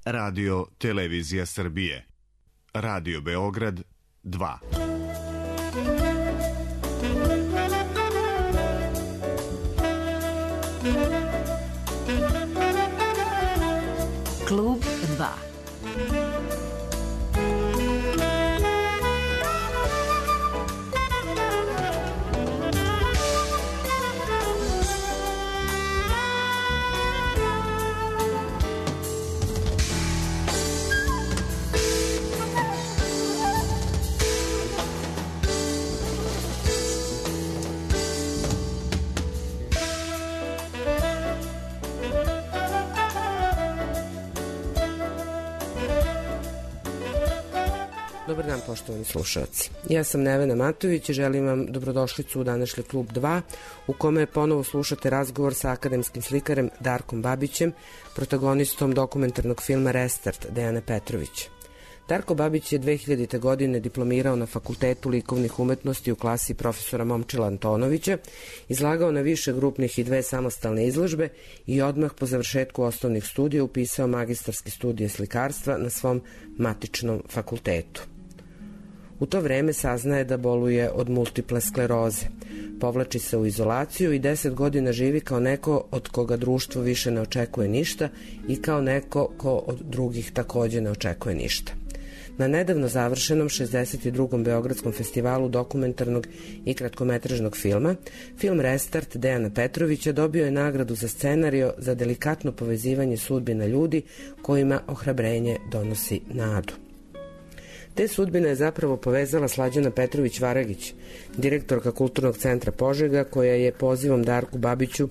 Radio Televizija Srbije. Radio Beograd 2. Klub 2. Dobar dan, poštovani slušalci. Ja sam Nevena Matović i želim vam dobrodošlicu u današnji Klub 2, u kome ponovo slušate razgovor sa akademskim slikarem Darkom Babićem, protagonistom dokumentarnog filma Restart Dejana Petrovića. Darko Babić je 2000. godine diplomirao na Fakultetu likovnih umetnosti u klasi profesora Momčila Antonovića, izlagao na više grupnih i 2 samostalne izložbe i odmah po završetku osnovnih studija upisao magistarske studije slikarstva na svom matičnom fakultetu. U to vreme saznaje da boluje od multiple skleroze. Povlači se u izolaciju i 10 godina živi kao neko od koga društvo više ne očekuje ništa i kao neko ko od drugih takođe ne očekuje ništa. Na nedavno završenom 62. Beogradskom festivalu dokumentarnog i kratkometražnog filma, film Restart Dejana Petrovića dobio je nagradu za scenario za delikatno povezivanje sudbina ljudi kojima ohrabrenje donosi nadu. Te sudbine je zapravo povezala Slađana Petrović-Varagić, direktorka Kulturnog centra Požega, koja je pozivom Darku Babiću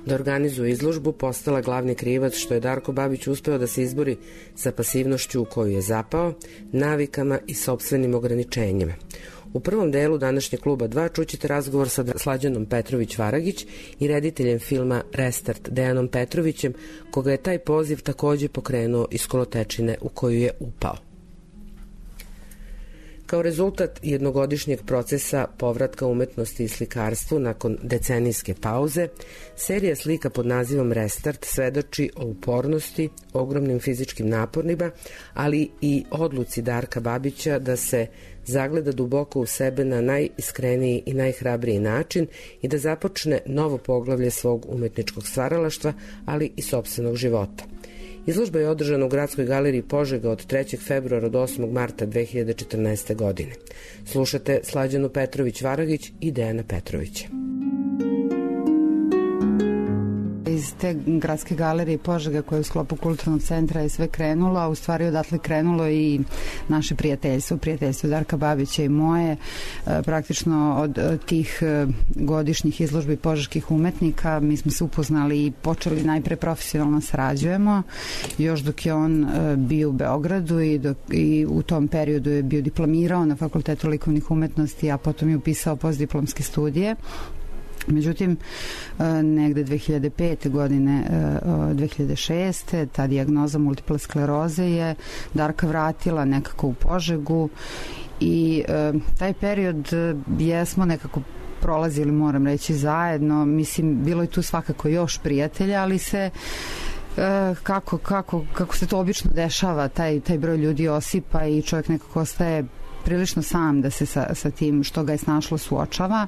da organizuje izložbu postala glavni krivac što je Darko Babić uspeo da se izbori sa pasivnošću u koju je zapao, navikama i sopstvenim ograničenjima. U prvom delu današnjeg Kluba 2 čućete razgovor sa Slađanom Petrović-Varagić i rediteljem filma Restart Dejanom Petrovićem, koga je taj poziv takođe pokrenuo iz kolotečine u koju je upao. Kao rezultat jednogodišnjeg procesa povratka umetnosti i slikarstvu nakon decenijske pauze, serija slika pod nazivom Restart svedoči o upornosti, ogromnim fizičkim naporima, ali i odluci Darka Babića da se zagleda duboko u sebe na najiskreniji i najhrabriji način i da započne novo poglavlje svog umetničkog stvaralaštva, ali i sopstvenog života. Izložba je održana u Gradskoj galeriji Požega od 3. februara do 8. marta 2014. godine. Slušate Slađanu Petrović-Varagić i Dejana Petrovića. Iz te Gradske galerije Požega koja je u sklopu Kulturnog centra je sve krenulo, a u stvari odatle krenulo i naše prijateljstvo Darka Babića i moje. Praktično od tih godišnjih izložbi požeških umetnika mi smo se upoznali i počeli najpre profesionalno sarađujemo, još dok je on bio u Beogradu i u tom periodu je bio diplomirao na Fakultetu likovnih umetnosti, a potom je upisao postdiplomske studije. Međutim, negde 2005. godine, 2006. ta dijagnoza multiple skleroze je Darka vratila nekako u Požegu i taj period jesmo nekako prolazili, moram reći, zajedno. Mislim, bilo je tu svakako još prijatelja, ali se kako se to obično dešava, taj broj ljudi osipa i čovjek nekako ostaje prilično sam da se sa tim što ga je snašlo suočava.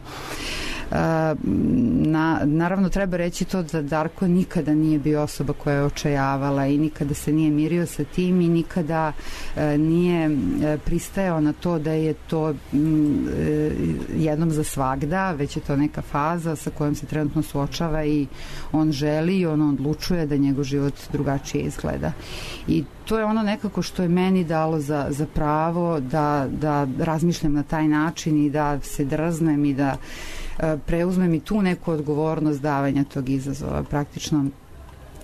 Naravno treba reći to da Darko nikada nije bio osoba koja je očajavala i nikada se nije mirio sa tim i nikada nije pristajao na to da je to jednom za svagda, već je to neka faza sa kojom se trenutno suočava i on želi i on odlučuje da njegov život drugačije izgleda. I to je ono nekako što je meni dalo za pravo da razmišljam na taj način i da se drznem i da preuzmem i tu neku odgovornost davanja tog izazova. Praktično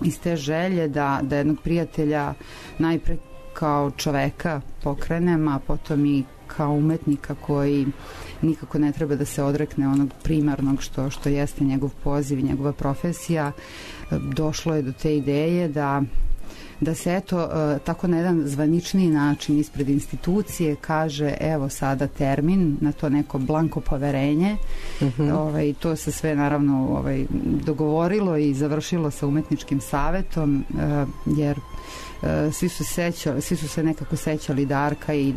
iz te želje da jednog prijatelja najpre kao čoveka pokrenem, a potom i kao umetnika koji nikako ne treba da se odrekne onog primarnog što jeste njegov poziv i njegova profesija. Došlo je do te ideje da da se eto tako na jedan zvaničniji način ispred institucije kaže evo sada termin na to neko blanko poverenje. To se sve naravno dogovorilo i završilo sa umetničkim savetom, jer svi su se nekako sećali Darka i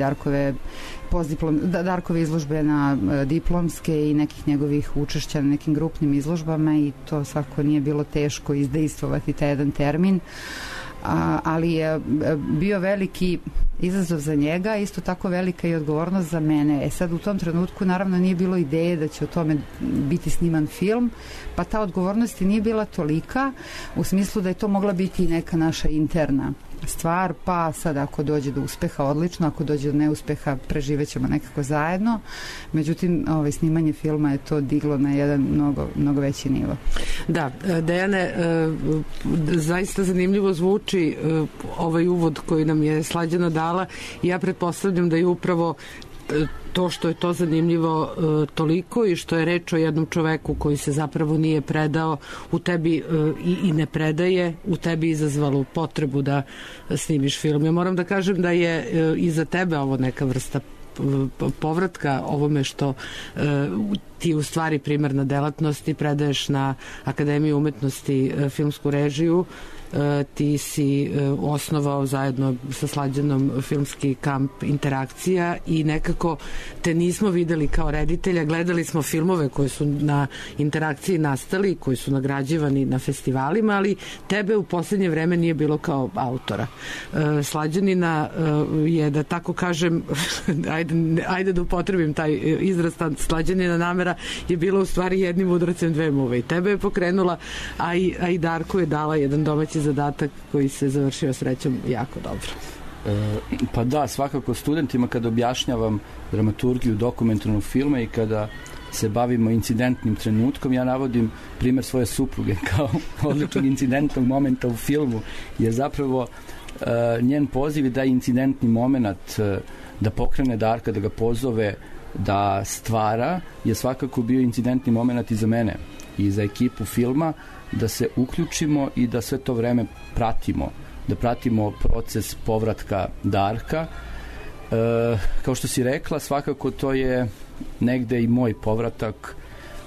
Darkove izložbe na diplomske i nekih njegovih učešća na nekim grupnim izložbama i to svako nije bilo teško izdejstvovati taj jedan termin, ali je bio veliki izazov za njega, isto tako velika i odgovornost za mene. Sad u tom trenutku naravno nije bilo ideje da će o tome biti sniman film, pa ta odgovornost nije bila tolika u smislu da je to mogla biti neka naša interna stvar, pa sad ako dođe do uspeha odlično, ako dođe do neuspeha preživećemo nekako zajedno. Međutim, snimanje filma je to diglo na jedan mnogo veći nivo. Da, Dejane, zaista zanimljivo zvuči ovaj uvod koji nam je Slađana dala i ja pretpostavljam da je upravo to što je to zanimljivo toliko i što je reč o jednom čoveku koji se zapravo nije predao u tebi i ne predaje, u tebi izazvalo potrebu da snimiš film. Ja moram da kažem da je i za tebe ovo neka vrsta povratka ovome što ti u stvari primarna delatnost i predaješ na Akademiju umetnosti filmsku režiju. Ti si osnovao zajedno sa Slađanom filmski kamp Interakcija i nekako te nismo videli kao reditelja, gledali smo filmove koji su na Interakciji nastali, koji su nagrađivani na festivalima, ali tebe u poslednje vreme nije bilo kao autora. Slađanina je, da tako kažem, ajde da upotrebim taj izraz, Slađanina namera je bila u stvari jednim udarcem dve muve i tebe je pokrenula, a i Darku je dala jedan domaći zadatak koji se završio srećom jako dobro. Pa da, svakako studentima kada objašnjavam dramaturgiju dokumentarnog filma i kada se bavimo incidentnim trenutkom, ja navodim primer svoje supruge kao odličnog incidentnog momenta u filmu, jer zapravo njen poziv je da incidentni moment da pokrene Darka, da ga pozove da stvara, je svakako bio incidentni moment i za mene i za ekipu filma, da se uključimo i da sve to vreme pratimo, da pratimo proces povratka Darka. Kao što si rekla, svakako to je negde i moj povratak,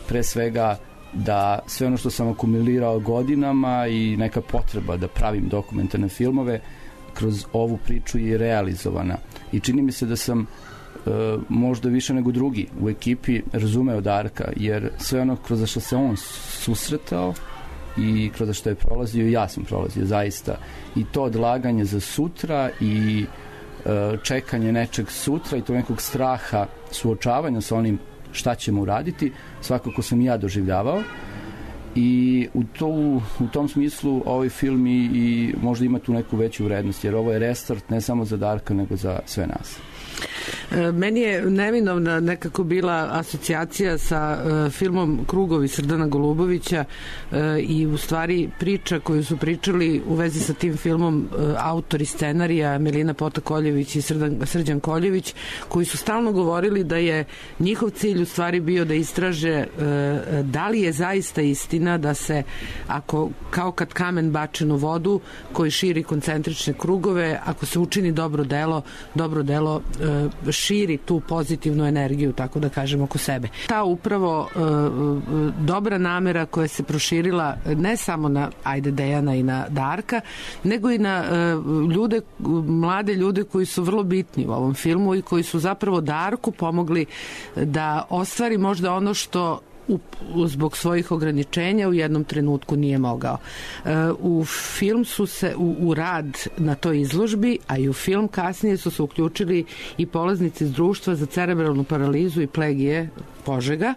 pre svega da sve ono što sam akumulirao godinama i neka potreba da pravim dokumentarne filmove kroz ovu priču je realizovana. I čini mi se da sam možda više nego drugi u ekipi razumeo Darka, jer sve ono kroz što se on susretao i kroz što je prolazio, ja sam prolazio zaista, i to odlaganje za sutra i čekanje nečeg sutra i to nekog straha suočavanja sa onim šta ćemo uraditi, svakako sam i ja doživljavao i u tom smislu ovaj film i možda ima tu neku veću vrednost, jer ovo je restart ne samo za Darka nego za sve nas. Meni je neminovna nekako bila asocijacija sa filmom Krugovi Srdana Golubovića i u stvari priča koju su pričali u vezi sa tim filmom autori scenarija Melina Pota-Koljević i Srđan Koljević, koji su stalno govorili da je njihov cilj u stvari bio da istraže da li je zaista istina da se, ako kao kad kamen bačen u vodu koji širi koncentrične krugove, ako se učini dobro delo širi tu pozitivnu energiju, tako da kažem, oko sebe. Ta upravo dobra namera koja se proširila ne samo na Dejana i na Darka, nego i na mlade ljude koji su vrlo bitni u ovom filmu i koji su zapravo Darku pomogli da ostvari možda ono što zbog svojih ograničenja u jednom trenutku nije mogao. U film su se, u rad na toj izložbi, a i u film kasnije su se uključili i polaznici iz društva za cerebralnu paralizu i plegije Požega,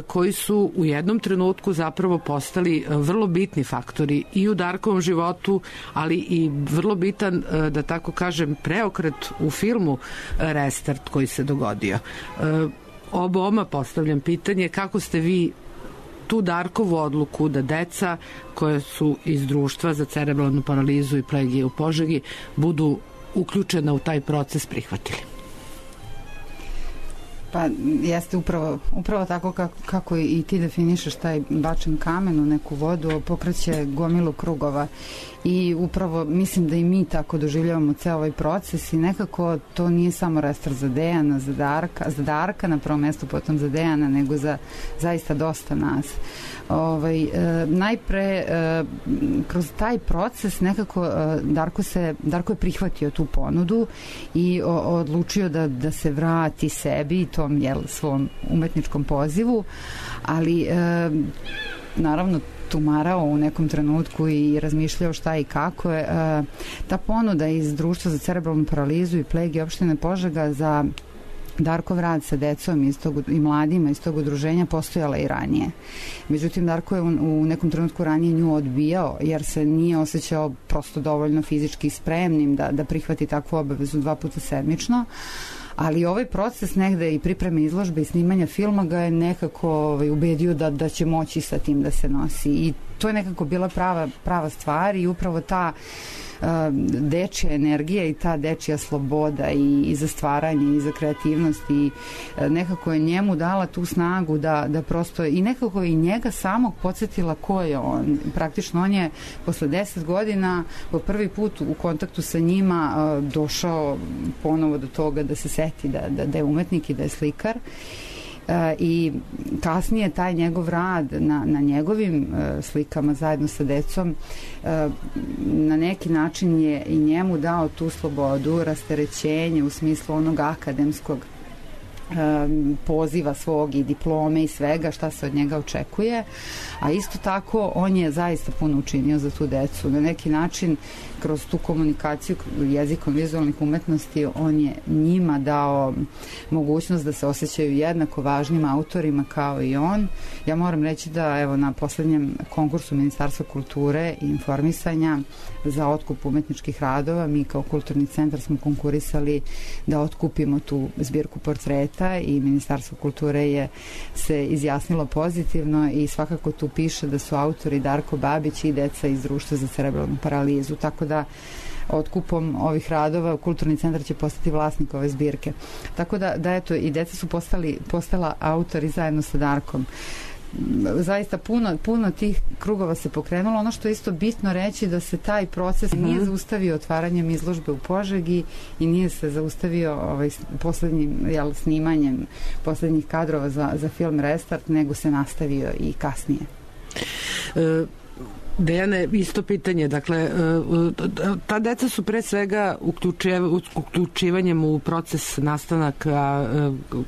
koji su u jednom trenutku zapravo postali vrlo bitni faktori i u Darkovom životu, ali i vrlo bitan, da tako kažem, preokret u filmu Restart koji se dogodio. Oboma postavljam pitanje kako ste vi tu Darkovu odluku da deca koje su iz društva za cerebralnu paralizu i plegije u Požegi budu uključena u taj proces prihvatili? Pa jeste upravo tako kako i ti definišeš taj bačen kamen u neku vodu, pokreće gomilu krugova i upravo mislim da i mi tako doživljavamo ceo ovaj proces i nekako to nije samo restart za Dejana, za Darka na prvom mestu, potom za Dejana, nego za zaista dosta nas. Najpre kroz taj proces nekako Darko je prihvatio tu ponudu i odlučio da se vrati sebi i tom svom umetničkom pozivu, ali naravno tumarao u nekom trenutku i razmišljao šta i kako je. Ta ponuda iz Društva za cerebralnu paralizu i plege opštine Požega za Darkov rad sa decom i mladima iz tog udruženja postojala i ranije. Međutim, Darko je u nekom trenutku ranije nju odbijao jer se nije osjećao prosto dovoljno fizički spremnim da prihvati takvu obavezu 2 puta sedmično. Ali ovaj proces negde i pripreme izložbe i snimanja filma ga je nekako ubedio da će moći sa tim da se nosi. I to je nekako bila prava stvar i upravo ta dečja energija i ta dečja sloboda i za stvaranje i za kreativnost i nekako je njemu dala tu snagu da prosto i nekako i njega samog podsjetila ko je on. Praktično on je posle 10 godina po prvi put u kontaktu sa njima došao ponovo do toga da se seti da je umetnik i da je slikar. I kasnije taj njegov rad na njegovim slikama zajedno sa decom na neki način je i njemu dao tu slobodu, rasterećenje u smislu onog akademskog poziva svog i diplome i svega šta se od njega očekuje, a isto tako on je zaista puno učinio za tu decu. Na neki način kroz tu komunikaciju jezikom vizualnih umetnosti on je njima dao mogućnost da se osjećaju jednako važnim autorima kao i on. Ja moram reći da evo na poslednjem konkursu Ministarstva kulture i informisanja za otkup umetničkih radova mi kao kulturni centar smo konkurisali da otkupimo tu zbirku portreta i Ministarstvo kulture je se izjasnilo pozitivno i svakako tu piše da su autori Darko Babić i deca iz Društva za cerebralnu paralizu, tako da otkupom ovih radova kulturni centar će postati vlasnik ove zbirke. Tako da eto i deca su postala autori zajedno sa Darkom. Zaista puno tih krugova se pokrenulo. Ono što je isto bitno reći da se taj proces nije zaustavio otvaranjem izložbe u Požegi i nije se zaustavio poslednjim snimanjem poslednjih kadrova za film Restart, nego se nastavio i kasnije. Dejane, isto pitanje, dakle, ta deca su pre svega uključivanjem u proces nastanaka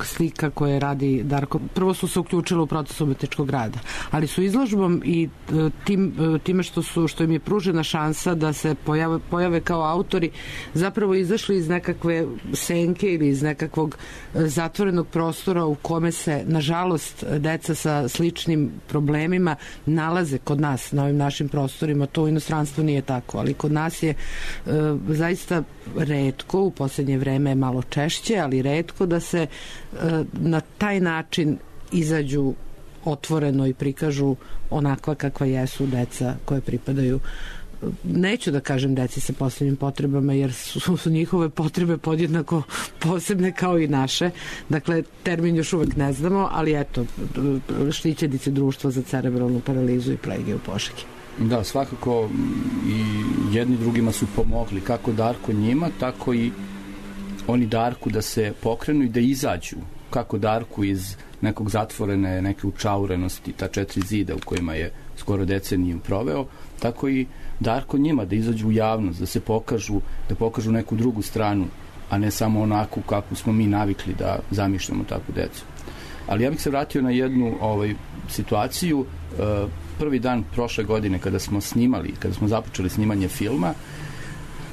slika koje radi Darko, prvo su se uključile u proces umetničkog rada, ali su izložbom i time što im je pružena šansa da se pojave kao autori, zapravo izašli iz nekakve senke ili iz nekakvog zatvorenog prostora u kome se, nažalost, deca sa sličnim problemima nalaze kod nas na ovim našim prostorima. To u inostranstvu nije tako, ali kod nas je zaista retko, u poslednje vreme je malo češće, ali retko da se na taj način izađu otvoreno i prikažu onakva kakva jesu deca koje pripadaju, neću da kažem deci sa posebnim potrebama, jer su njihove potrebe podjednako posebne kao i naše. Dakle, termin još uvek ne znamo, ali eto, štićenici Društva za cerebralnu paralizu i plege u Požegi. Da, svakako i jedni drugima su pomogli, kako Darko njima, tako i oni Darku da se pokrenu i da izađu, kako Darku iz nekog zatvorene, neke učaurenosti, ta 4 zida u kojima je skoro deceniju proveo, tako i Darko njima da izađu u javnost, da se pokažu, da pokažu neku drugu stranu, a ne samo onako kako smo mi navikli da zamišljamo takvu decu. Ali ja bih se vratio na jednu situaciju. Prvi dan prošle godine kada smo započeli snimanje filma,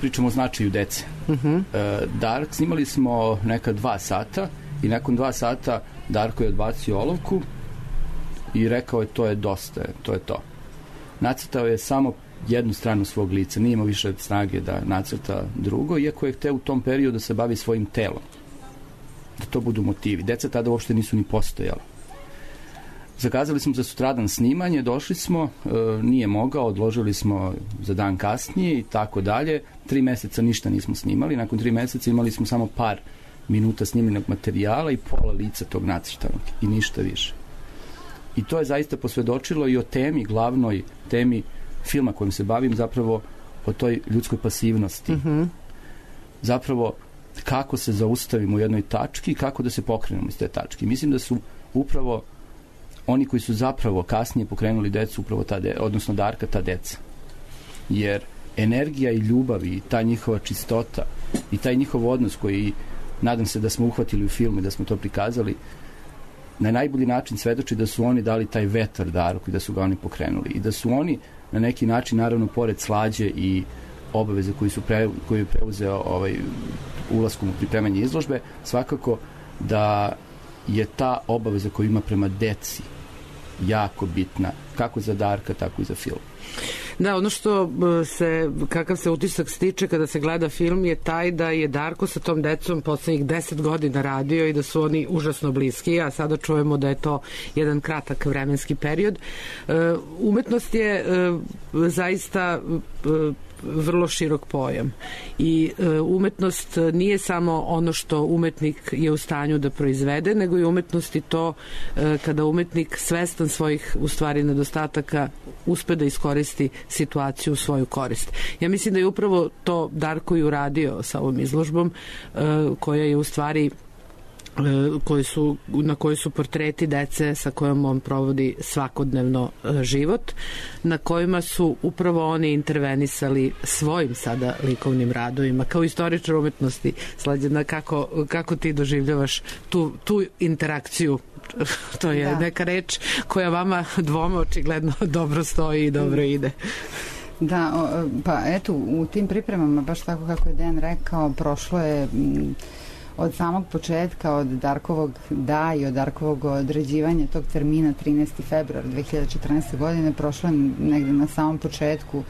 pričamo o značaju dece. Dark, snimali smo neka 2 sata i nakon 2 sata Darko je odbacio olovku i rekao je to je dosta, to je to. Nacrtao je samo jednu stranu svog lica, nije imao više snage da nacrta drugo, iako je hteo u tom periodu da se bavi svojim telom, da to budu motivi. Deca tada uopšte nisu ni postojala. Zakazali smo za sutradan snimanje, došli smo, nije mogao, odložili smo za dan kasnije i tako dalje. 3 meseca ništa nismo snimali, nakon 3 meseca imali smo samo par minuta snimljenog materijala i pola lica tog nacrtanog i ništa više. I to je zaista posvedočilo i o temi, glavnoj temi filma kojim se bavim, zapravo o toj ljudskoj pasivnosti. Zapravo kako se zaustavimo u jednoj tački i kako da se pokrenemo iz te tačke. Mislim da su upravo oni koji su zapravo kasnije pokrenuli decu, upravo odnosno Darka, ta deca. Jer energija i ljubav i ta njihova čistota i taj njihov odnos koji nadam se da smo uhvatili u filmu i da smo to prikazali, na najbolji način svedoči da su oni dali taj vetar Darku i da su ga oni pokrenuli. I da su oni na neki način, naravno, pored slađe i obaveze koju je preuzeo ulaskom u pripremanje izložbe, svakako da je ta obaveza koju ima prema deci jako bitna, kako za Darka, tako i za film. Da, ono što kakav se utisak stiče kada se gleda film je taj da je Darko sa tom decom poslednjih 10 godina radio i da su oni užasno bliski, a sada čujemo da je to jedan kratak vremenski period. Umetnost je zaista vrlo širok pojam i umetnost nije samo ono što umetnik je u stanju da proizvede, nego i umetnost i to kada umetnik svestan svojih u stvari nedostataka uspe da iskoristi situaciju u svoju korist. Ja mislim da je upravo to Darko i uradio sa ovom izložbom koja je u stvari na kojoj su portreti dece sa kojom on provodi svakodnevno život, na kojima su upravo oni intervenisali svojim sada likovnim radovima. Kao istoričar umetnosti, Slađana, kako ti doživljavaš tu interakciju? To je neka reč koja vama dvoma očigledno dobro stoji i dobro ide. Da, pa eto, u tim pripremama, baš tako kako je Dejan rekao, prošlo je od samog početka, od Darkovog i od Darkovog određivanja tog termina 13. februar 2014. godine, prošlo je negde na samom početku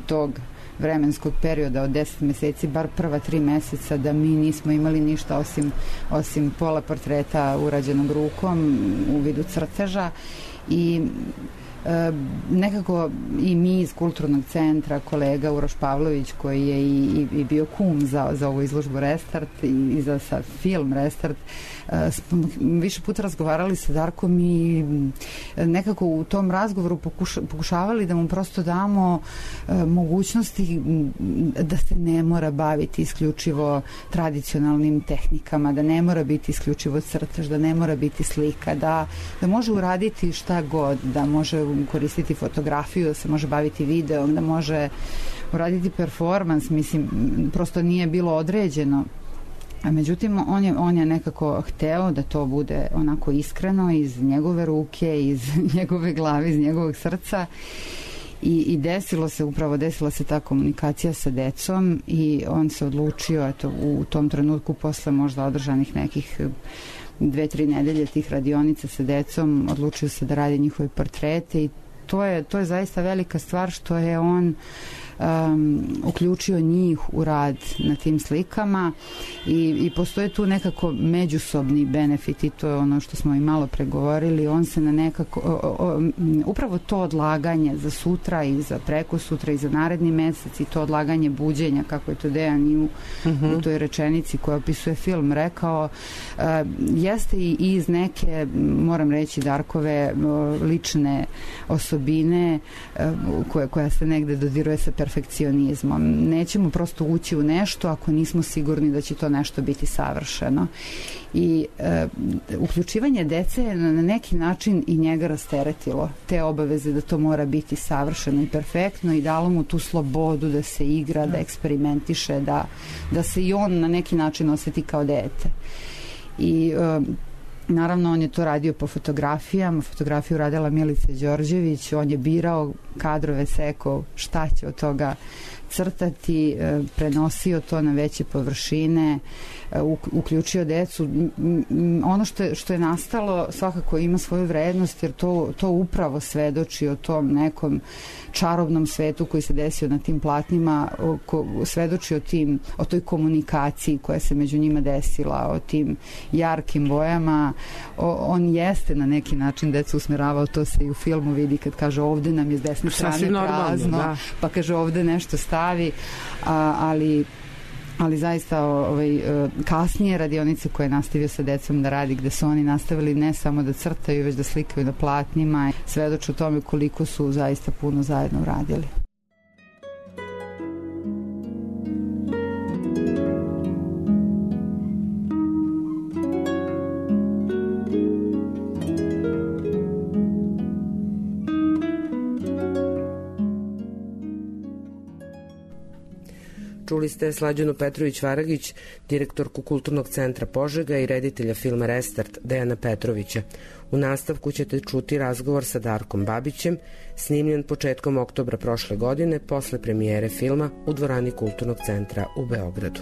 tog vremenskog perioda od 10 meseci, bar prva 3 meseca, da mi nismo imali ništa osim pola portreta urađenog rukom u vidu crteža i nekako i mi iz Kulturnog centra, kolega Uroš Pavlović koji je i bio kum za ovu izložbu Restart i za film Restart, više puta razgovarali sa Darkom i nekako u tom razgovoru pokušavali da mu prosto damo mogućnosti da se ne mora baviti isključivo tradicionalnim tehnikama, da ne mora biti isključivo crtež, da ne mora biti slika, da može uraditi šta god, da može koristiti fotografiju, da se može baviti videom, da može uraditi performans, mislim, prosto nije bilo određeno. A međutim, on je nekako hteo da to bude onako iskreno iz njegove ruke, iz njegove glave, iz njegovog srca i desila se ta komunikacija sa decom i on se odlučio, eto, u tom trenutku posle možda održanih nekih 2-3 nedelje tih radionica sa decom, odlučio se da radi njihove portrete i to je zaista velika stvar što je on uključio njih u rad na tim slikama i postoje tu nekako međusobni benefit i to je ono što smo i malo pregovorili. On se na nekako upravo to odlaganje za sutra i za preko sutra i za naredni mesec i to odlaganje buđenja, kako je to Dejan i u toj rečenici koja opisuje film rekao, jeste i iz neke, moram reći, Darkove lične osobine koja se negde dodiruje sa perfekcionizmom. Nećemo prosto ući u nešto ako nismo sigurni da će to nešto biti savršeno. I uključivanje dece je na neki način i njega rasteretilo te obaveze da to mora biti savršeno i perfektno i dalo mu tu slobodu da se igra, da eksperimentiše, da se i on na neki način oseti kao dete. I naravno, on je to radio po fotografijama, fotografiju radila Milica Đorđević, on je birao kadrove, sekao šta će od toga crtati, prenosio to na veće površine, uključio decu. Ono što je nastalo svakako ima svoju vrednost jer to upravo svedoči o tom nekom čarobnom svetu koji se desio na tim platnima, svedoči o toj komunikaciji koja se među njima desila, o tim jarkim bojama. On jeste na neki način decu usmeravao, to se i u filmu vidi kad kaže ovde nam je s desne strane prazno, pa kaže ovde nešto stavi, ali ali zaista kasnije radionice koje je nastavio sa decom da radi, gde su oni nastavili ne samo da crtaju, već da slikaju na platnima, svedoče o tome koliko su zaista puno zajedno uradili. Čuli ste Slađanu Petrović-Varagić, direktorku Kulturnog centra Požega i reditelja filma Restart Dejana Petrovića. U nastavku ćete čuti razgovor sa Darkom Babićem, snimljen početkom oktobra prošle godine posle premijere filma u dvorani Kulturnog centra u Beogradu.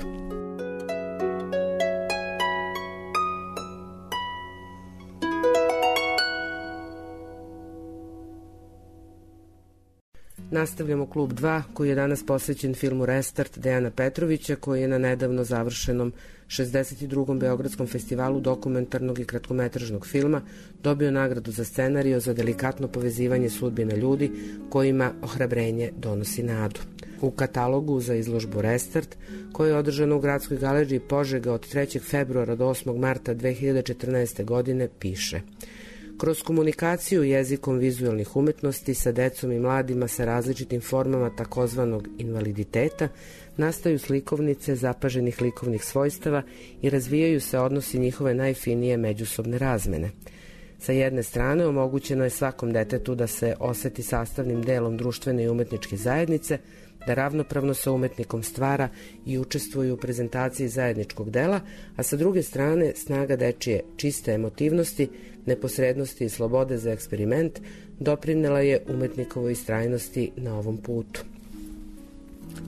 Nastavljamo Klub 2, koji je danas posvećen filmu Restart Dejana Petrovića, koji je na nedavno završenom 62. Beogradskom festivalu dokumentarnog i kratkometražnog filma dobio nagradu za scenario za delikatno povezivanje sudbina ljudi kojima ohrabrenje donosi nadu. U katalogu za izložbu Restart, koja je održana u Gradskoj galeriji Požega od 3. februara do 8. marta 2014. godine, piše: kroz komunikaciju jezikom vizualnih umetnosti sa decom i mladima sa različitim formama takozvanog invaliditeta nastaju slikovnice zapaženih likovnih svojstava i razvijaju se odnosi njihove najfinije međusobne razmene. Sa jedne strane omogućeno je svakom detetu da se oseti sastavnim delom društvene i umetničke zajednice, da ravnopravno sa umetnikom stvara i učestvuje u prezentaciji zajedničkog dela, a sa druge strane snaga dečije čiste emotivnosti, neposrednosti i slobode za eksperiment doprinela je umetnikovoj istrajnosti na ovom putu.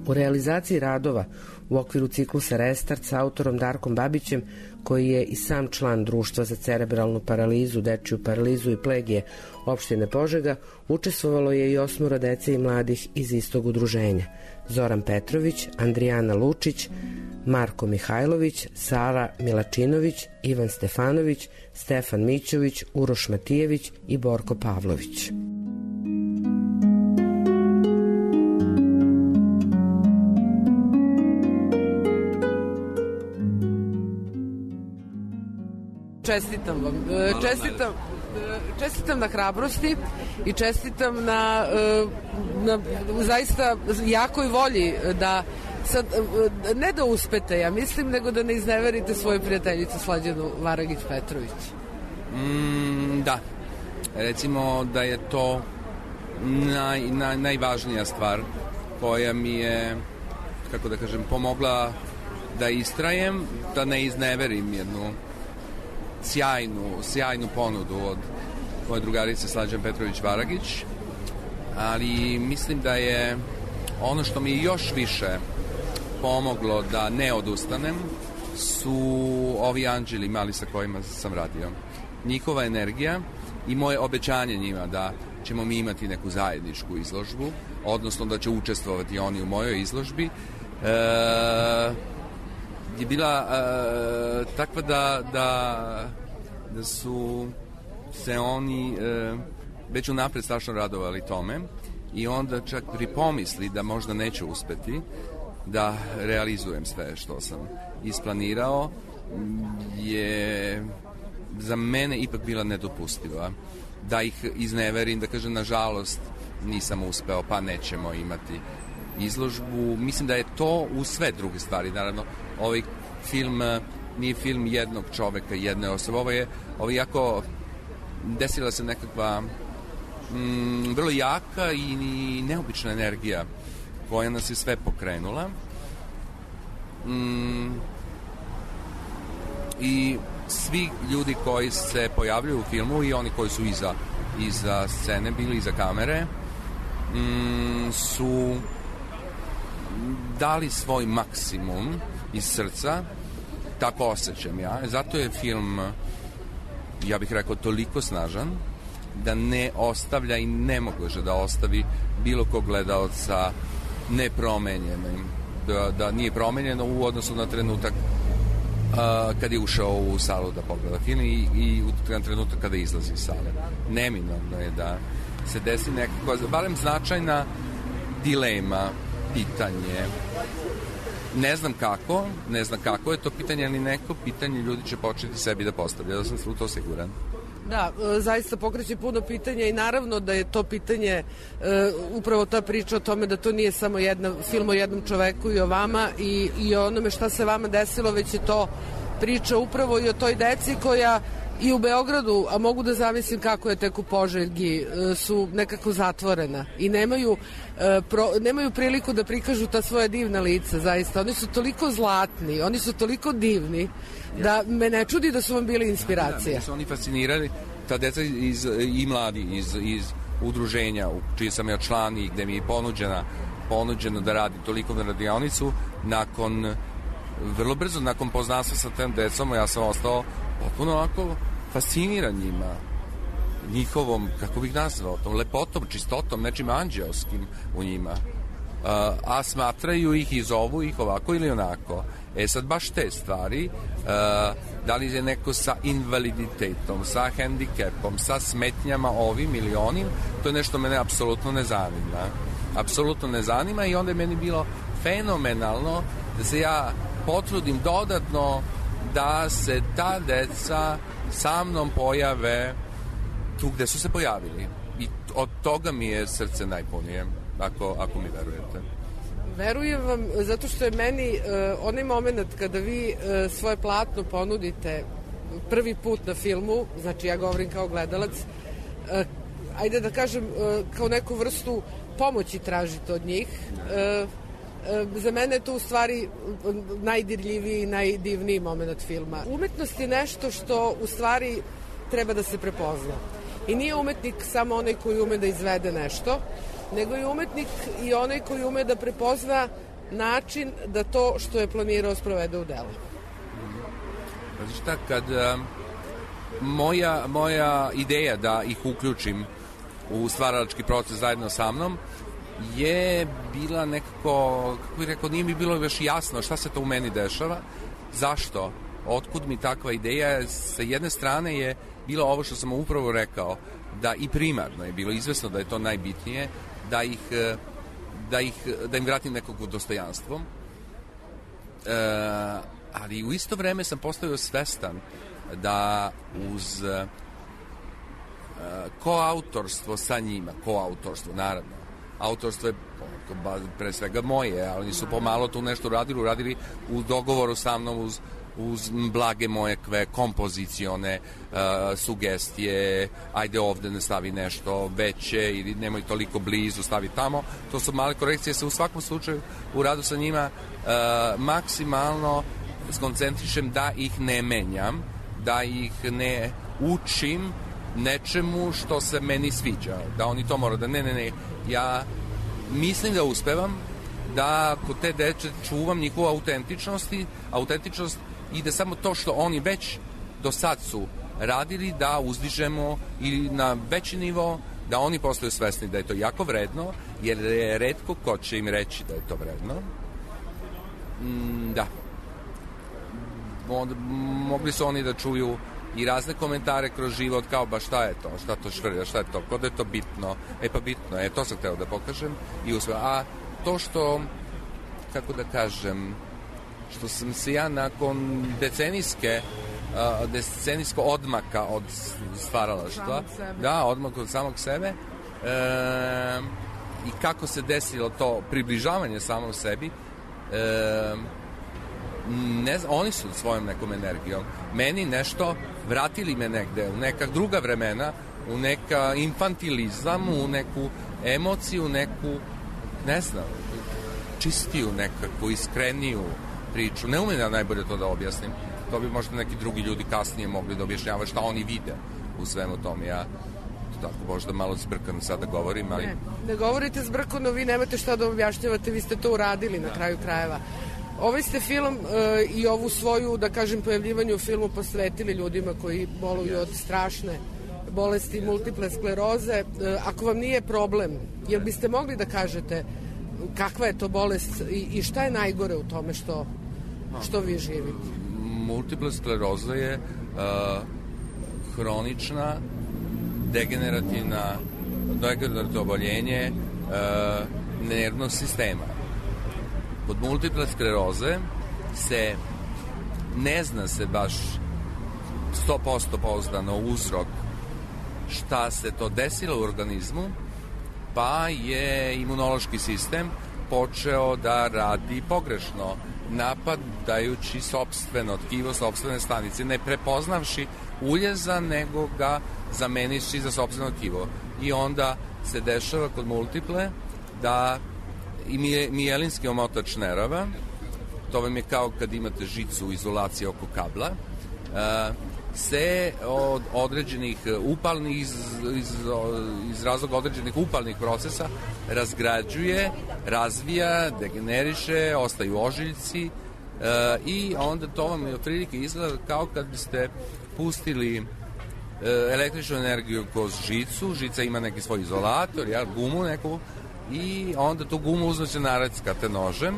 U realizaciji radova u okviru ciklusa Restart sa autorom Darkom Babićem, koji je i sam član Društva za cerebralnu paralizu, dečiju paralizu i plegije opštine Požega, učestvovalo je i 8 dece i mladih iz istog udruženja: Zoran Petrović, Andrijana Lučić, Marko Mihajlović, Sara Milačinović, Ivan Stefanović, Stefan Mićović, Uroš Matijević i Borko Pavlović. Čestitam vam. Čestitam na hrabrosti i čestitam na zaista jakoj volji da sad, ne da uspete, ja mislim, nego da ne izneverite svoju prijateljicu Slađanu Varagić-Petrović. Da. Recimo da je to najvažnija stvar koja mi je, kako da kažem, pomogla da istrajem, da ne izneverim jednu sjajnu ponudu od moje drugarice Slađan Petrović-Varagić, ali mislim da je ono što mi još više pomoglo da ne odustanem su ovi anđeli mali sa kojima sam radio. Njihova energija i moje obećanje njima da ćemo mi imati neku zajedničku izložbu, odnosno da će učestvovati oni u mojoj izložbi, je bila takva da su se oni već unapred strašno radovali tome i onda čak pri pomisli da možda neće uspeti da realizujem sve što sam isplanirao je za mene ipak bila nedopustiva. Da ih izneverim, da kažem nažalost nisam uspeo, pa nećemo imati izložbu. Mislim da je to u sve druge stvari. Naravno, ovaj film nije film jednog čoveka, jedne osobe. Ovo je jako desila se nekakva vrlo jaka i neobična energija koja nas je sve pokrenula. I svi ljudi koji se pojavljuju u filmu i oni koji su iza scene bili, iza kamere, su dali svoj maksimum iz srca, tako osjećam ja. Zato je film, ja bih rekao, toliko snažan da ne ostavlja i ne može da ostavi bilo kog gledaoca nepromenjenim, da nije promenjeno u odnosu na trenutak kad je ušao u salu da pogleda film i u trenutak kada izlazi iz sale. Neminovno je da se desi nekako, barem značajna dilema, pitanje Ne znam kako je to pitanje, ali neko pitanje ljudi će početi sebi da postavlja, da sam u to siguran. Da, zaista pokreće puno pitanja i naravno da je to pitanje upravo ta priča o tome da to nije samo film o jednom čoveku i o vama i o onome šta se vama desilo, već je to priča upravo i o toj deci koja i u Beogradu, a mogu da zamislim kako je tek u Požegi, su nekako zatvorena i nemaju priliku da prikažu ta svoja divna lica, zaista. Oni su toliko zlatni, oni su toliko divni, da me ne čudi da su vam bili inspiracija. Da, su oni fascinirali, ta deca i mladi iz udruženja u čiji sam ja član i gde mi je ponuđeno da radi toliko na radionicu. Vrlo brzo nakon poznanstva sa tem decom ja sam ostao potpuno ovako fasciniran njima, njihovom, kako bih nazvao, tom lepotom, čistotom, nečim anđelskim u njima. A smatraju ih i zovu ih ovako ili onako. Sad baš te stvari, da li je neko sa invaliditetom, sa hendikepom, sa smetnjama ovim ili onim, to je nešto mene apsolutno ne zanima. Apsolutno ne zanima i onda je meni bilo fenomenalno da se ja potrudim dodatno da se ta deca sa mnom pojave tu gde su se pojavili. I od toga mi je srce najpunije, ako mi verujete. Verujem vam, zato što je meni onaj moment kada vi svoje platno ponudite prvi put na filmu, znači ja govorim kao gledalac, ajde da kažem, kao neku vrstu pomoći tražite od njih, za mene je to u stvari najdirljiviji i najdivniji moment filma. Umetnost je nešto što u stvari treba da se prepozna. I nije umetnik samo onaj koji ume da izvede nešto, nego je umetnik i onaj koji ume da prepozna način da to što je planirao sprovede u delo. Znači šta, kad moja ideja da ih uključim u stvaralački proces zajedno sa mnom je bila nekako, kako bih rekao, nije mi bilo još jasno šta se to u meni dešava, zašto, otkud mi takva ideja. Sa jedne strane je bilo ovo što sam upravo rekao, da i primarno je bilo izvesno da je to najbitnije, da im vratim nekog dostojanstvo, ali u isto vreme sam postao svestan da uz koautorstvo sa njima, naravno, autorstvo je pre svega moje, ali oni su pomalo tu nešto uradili u dogovoru sa mnom uz blage moje kompozicione sugestije, ajde ovde ne stavi nešto veće ili nemoj toliko blizu, stavi tamo. To su male korekcije, se u svakom slučaju u radu sa njima maksimalno skoncentrišem da ih ne menjam, da ih ne učim nečemu što se meni sviđa, da oni to moraju da ne, ja mislim da uspevam da kod te deče čuvam njihovu autentičnost i da samo to što oni već do sad su radili da uzdižemo i na veći nivo, da oni postaju svesni da je to jako vredno, jer je retko ko će im reći da je to vredno. Da. Mogli su oni da čuju i razne komentare kroz život, kao ba šta je to švrlja, šta je to, kod je to bitno, pa bitno, to sam hteo da pokažem i uspeo. A to što, kako da kažem, što sam se ja nakon decenijsko odmaka od stvaralaštva, odmaka od samog sebe, i kako se desilo to približavanje samom sebi, ne znam, oni su svojom nekom energijom meni nešto vratili me negde u neka druga vremena, u neka infantilizam, u neku emociju, neku, ne znam, čistiju nekakvu, iskreniju priču. Ne umem ja najbolje to da objasnim. To bi možda neki drugi ljudi kasnije mogli da objašnjavaju šta oni vide u svemu tom. Ja tako možda malo zbrkano sada govorim, ali... Ne govorite zbrkano, vi nemate šta da objašnjavate, vi ste to uradili na kraju krajeva. Ovaj ste film i ovu svoju, da kažem, pojavljivanju u filmu posvetili ljudima koji boluju od strašne bolesti multiple skleroze. Ako vam nije problem, jel biste mogli da kažete kakva je to bolest i šta je najgore u tome što vi živite? Multiple skleroza je hronična degenerativno oboljenje nervnog sistema. Kod multiple skleroze se ne zna se baš 100% pouzdano uzrok šta se to desilo u organizmu, pa je imunološki sistem počeo da radi pogrešno, napadajući sopstveno tkivo, sopstvene stanice, ne prepoznavši uljeza, nego ga zameniši za sopstveno tkivo. I onda se dešava kod multiple da i mijelinski omotač nerava, to vam je kao kad imate žicu izolacije oko kabla, se od određenih upalnih iz razloga određenih upalnih procesa razgrađuje, razvija, degeneriše, ostaju ožiljci i onda to vam je otprilike izgleda kao kad biste pustili električnu energiju kroz žicu, žica ima neki svoj izolator, gumu neku, i onda tu gumu uzmete nareckate nožem,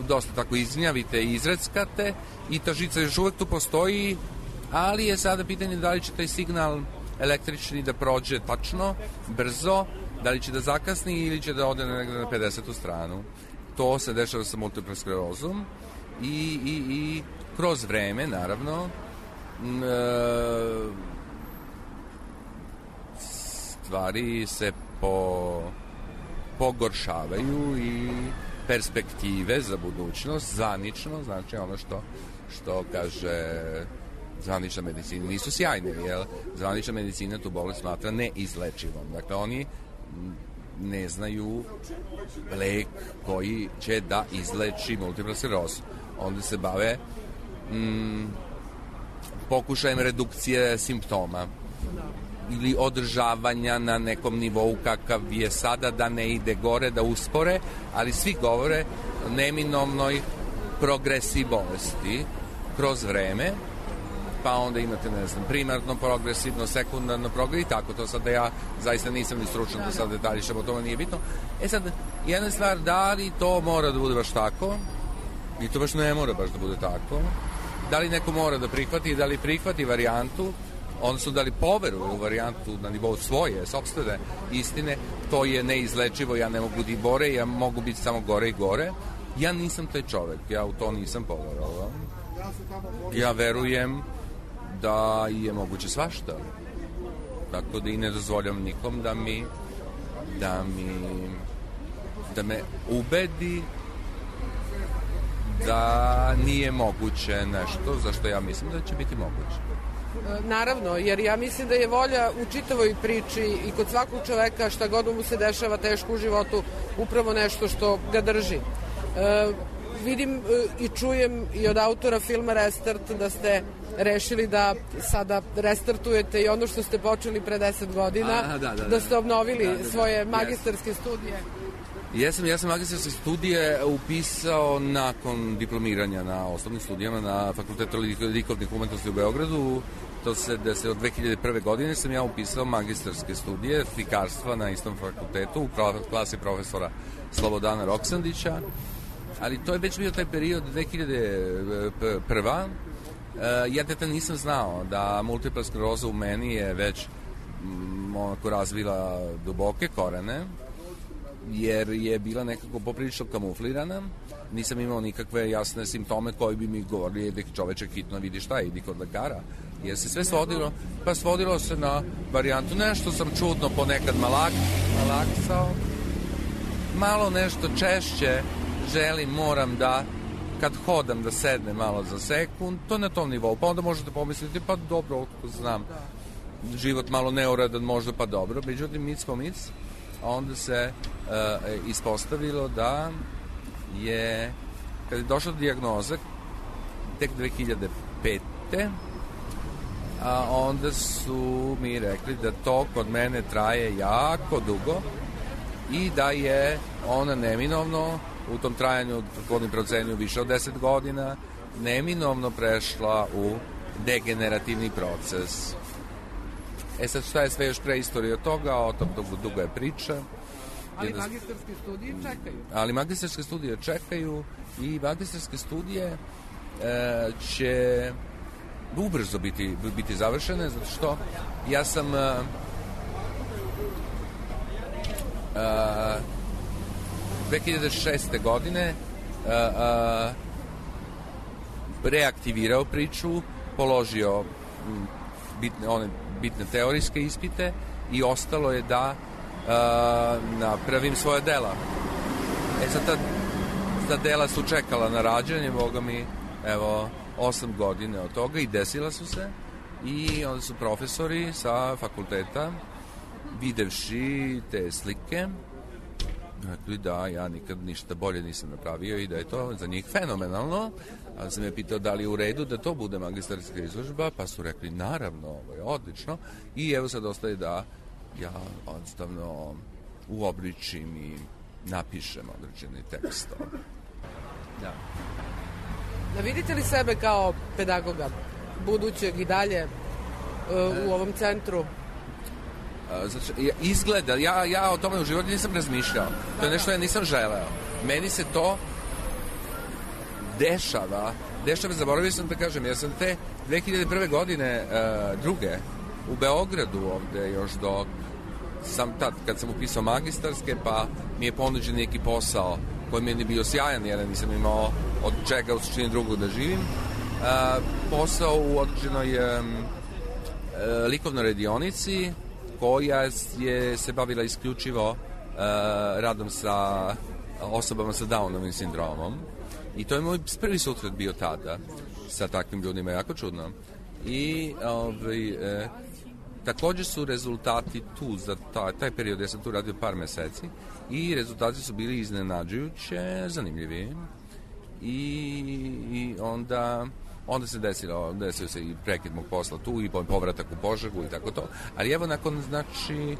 dosta tako izgnjavite i izreckate i ta žica još uvek tu postoji, ali je sada pitanje da li će taj signal električni da prođe tačno, brzo, da li će da zakasni ili će da ode negde na 50. stranu. To se dešava sa multiple sklerozom i kroz vreme, naravno, stvari se pogoršavaju i perspektive za budućnost, zvanično, znači ono što kaže zvanična medicina, nisu sjajne, jer zvanična medicina tu bolest smatra neizlečivom. Dakle, oni ne znaju lek koji će da izleči multiplu sklerozu. Onda se bave pokušajem redukcije simptoma ili održavanja na nekom nivou kakav je sada, da ne ide gore, da uspore, ali svi govore o neminovnoj progresiji bolesti kroz vreme, pa onda imate, ne znam, primarno progresivno, sekundarno progresivno i tako. To sada ja zaista nisam ni stručan da sad detaljišem, o tome nije bitno. Sad, jedna stvar, da li to mora da bude baš tako, i to baš ne mora baš da bude tako, da li neko mora da prihvati, da li prihvati varijantu, odnosno da li poveruje u varijantu na nivou svoje, sopstvene istine, to je neizlečivo, ja ne mogu da bore, ja mogu biti samo gore i gore. Ja nisam taj čovek, ja u to nisam poverovao. Ja verujem da je moguće svašta. Tako da i ne dozvoljam nikom da me ubedi da nije moguće nešto za što ja mislim da će biti moguće. Naravno, jer ja mislim da je volja u čitavoj priči i kod svakog čoveka, šta god mu se dešava teško u životu, upravo nešto što ga drži. Vidim i čujem i od autora filma Restart da ste rešili da sada restartujete i ono što ste počeli pre 10 godina, da ste obnovili svoje magistarske studije. Ja sam magistarske studije upisao nakon diplomiranja na osnovnim studijama na Fakultetu likovnih umetnosti u Beogradu. To se od 2001. godine sam ja upisao magistarske studije slikarstva na istom fakultetu u klasi profesora Slobodana Roksandića, ali to je već bio taj period 2001. Ja tada nisam znao da multipla skleroza u meni je već onako razvila duboke korene, jer je bila nekako poprilično kamuflirana. Nisam imao nikakve jasne simptome koji bi mi govorili da čoveče hitno vidi šta je, idi kod lekara. Jer se sve svodilo se na varijantu, nešto sam čudno ponekad malaksao, malo nešto češće želim, moram da kad hodam da sedne malo za sekund, to na tom nivou, pa onda možete pomisliti, pa dobro, znam, život malo neuredan možda, pa dobro, međutim mic po mic, a onda se ispostavilo da je, kad je došla dijagnoza tek 2005. A onda su mi rekli da to kod mene traje jako dugo i da je ona neminovno u tom trajanju, kod procenju više od 10 godina, neminovno prešla u degenerativni proces. Sad šta je sve još pre istorije od toga, o tom dugo je priča. Ali magistarske studije čekaju. Ali magistarske studije čekaju i magistarske studije će ubrzo biti završene, zato što ja sam 2006. godine reaktivirao priču, položio bitne teorijske ispite i ostalo je da napravim svoje dela. Sad ta dela su čekala na rađanje, boga mi, evo, 8 godine od toga i desila su se i onda su profesori sa fakulteta, videvši te slike, rekli da ja nikad ništa bolje nisam napravio i da je to za njih fenomenalno. A sam je pitao da li je u redu da to bude magistarska izložba, pa su rekli naravno, ovo je odlično. I evo sad ostaje da ja jednostavno uobličim i napišem određeni tekst. Da. Da vidite li sebe kao pedagoga budućeg i dalje u ovom centru? Izgleda, ja o tome u životu nisam razmišljao. To je nešto ja nisam želeo. Meni se to dešava, zaboravio sam da kažem, ja sam te 2001. godine druge u Beogradu ovde još dok sam tad, kad sam upisao magistarske, pa mi je ponuđen neki posao koji mi je bio sjajan, jer nisam imao od čega u suštini drugog da živim. Posao u određenoj likovnoj radionici koja se bavila isključivo radom sa osobama sa Downovim sindromom. I to je moj prvi susret bio tada sa takvim ljudima, jako čudno. I također su rezultati tu za taj period, ja sam tu radio par meseci, i rezultati su bili iznenađujuće, zanimljivi. I onda se desio se i prekid mog posla tu i povratak u Požegu i tako to. Ali evo nakon, znači,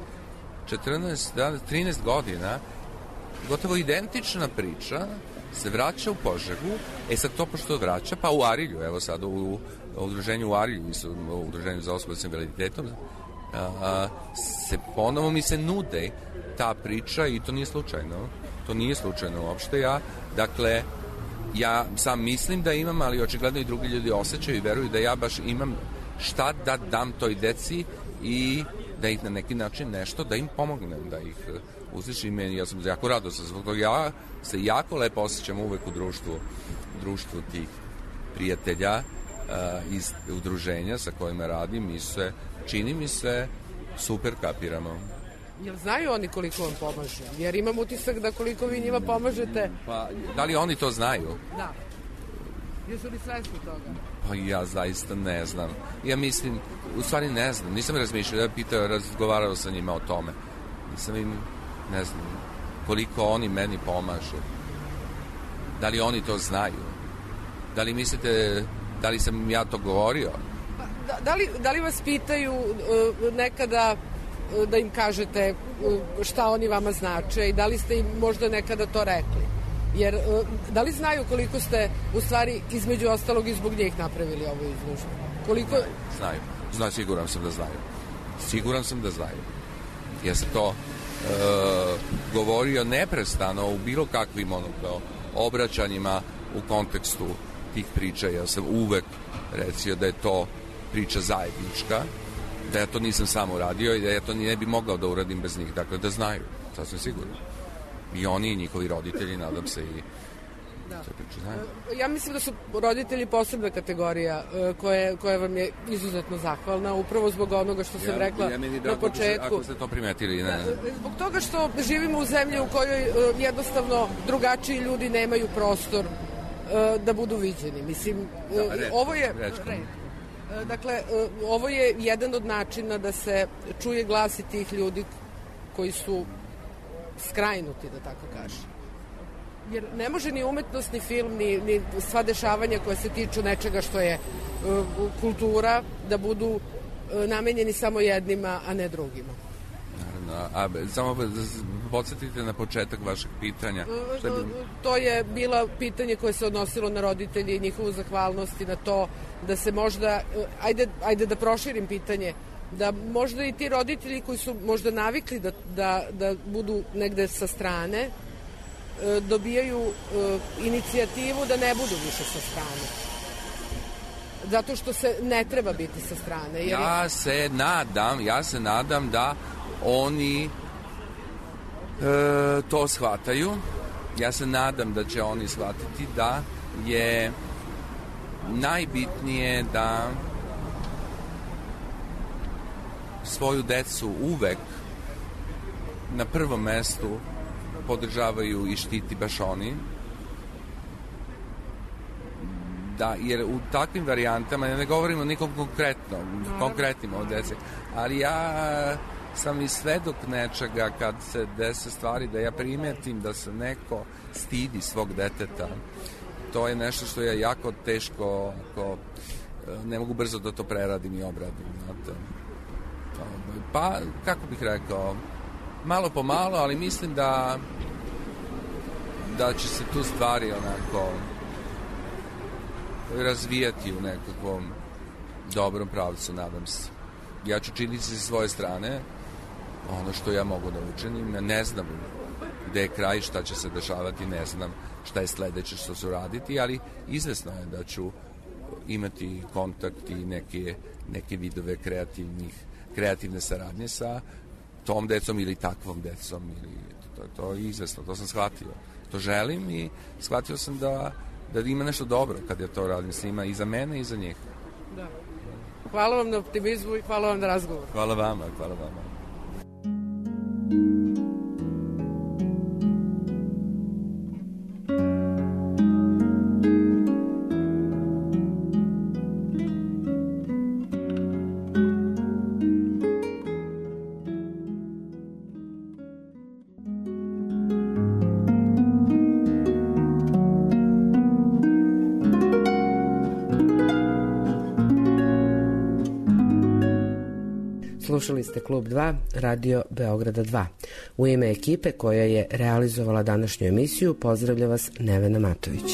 13 godina, gotovo identična priča se vraća u Požegu. Sad to pošto vraća, pa u Arilju, evo sad u udruženju u Arilju, u udruženju za osobe s invaliditetom, ponovo mi se nude ta priča i to nije slučajno. To nije slučajno uopšte. Ja sam mislim da imam, ali očigledno i drugi ljudi osjećaju i veruju da ja baš imam šta da dam toj deci i da ih na neki način nešto, da im pomognem, da ih uslišim. Ja sam jako radostan zbog toga. Ja se jako lepo osjećam uvek u društvu tih prijatelja iz udruženja sa kojima radim i čini mi se super kapiramo. Jel znaju oni koliko vam pomaže? Jer imam utisak da koliko vi njima pomažete... Pa, da li oni to znaju? Da. Jesu li svesni toga? Pa ja zaista ne znam. Ja mislim, u stvari ne znam. Nisam razmišljao, razgovarao sa njima o tome. Nisam im, ne znam, koliko oni meni pomažu. Da li oni to znaju? Da li mislite, da li sam ja to govorio? Da li vas pitaju nekada da im kažete šta oni vama znače i da li ste im možda nekada to rekli? Jer da li znaju koliko ste u stvari između ostalog i zbog njih napravili ovu izložbu? Koliko... Znaju, siguran sam da znaju. Ja sam to govorio neprestano u bilo kakvim obraćanjima u kontekstu tih priča. Ja sam uvek recio da je to priča zajednička, da ja to nisam sam uradio i da ja to ne bi mogao da uradim bez njih. Dakle, da znaju, sasvim sigurno. I oni i njihovi roditelji, nadam se i... Da. Ja mislim da su roditelji posebna kategorija koja vam je izuzetno zahvalna, upravo zbog onoga što sam rekla na početku. Ako ste to primetili, ne. Zbog toga što živimo u zemlji u kojoj jednostavno drugačiji ljudi nemaju prostor da budu viđeni. Mislim, ovo je... Dakle, ovo je jedan od načina da se čuje glas i tih ljudi koji su skrajnuti, da tako kažem. Jer ne može ni umetnost, ni film, ni sva dešavanja koja se tiču nečega što je kultura, da budu namenjeni samo jednima, a ne drugima. Naravno, samo podsjetite na početak vašeg pitanja. To je bilo pitanje koje se odnosilo na roditelje i njihovu zahvalnost i na to da se možda, ajde da proširim pitanje, da možda i ti roditelji koji su možda navikli da budu negde sa strane, dobijaju inicijativu da ne budu više sa strane. Zato što se ne treba biti sa strane. Jer... Ja se nadam da oni to shvataju ja se nadam da će oni shvatiti da je najbitnije da svoju decu uvek na prvom mestu podržavaju i štiti baš oni. Da, jer u takvim varijantama, ne govorimo nikom konkretnim o deci, ali ja sam i svedok nečega kad se dese stvari da ja primetim da se neko stidi svog deteta. To je nešto što je jako teško, ne mogu brzo da to preradim i obradim. Znate. Pa, kako bih rekao, malo po malo, ali mislim da će se tu stvari onako razvijati u nekakvom dobrom pravcu, nadam se. Ja ću činiti sa svoje strane ono što ja mogu da učinim. Ne znam gde je kraj, šta će se dešavati, ne znam šta je sledeće što ću raditi, ali izvesno je da ću imati kontakt i neke vidove kreativne saradnje sa tom decom ili takvom decom. To je izvesno, to sam shvatio. To želim i shvatio sam da ima nešto dobro kad ja to radim s njima i za mene i za njih. Da. Hvala vam na optimizmu i hvala vam na razgovor. Hvala vama, hvala vama. Slušali ste Klub 2, Radio Beograda 2. U ime ekipe koja je realizovala današnju emisiju pozdravlja vas Nevena Matović.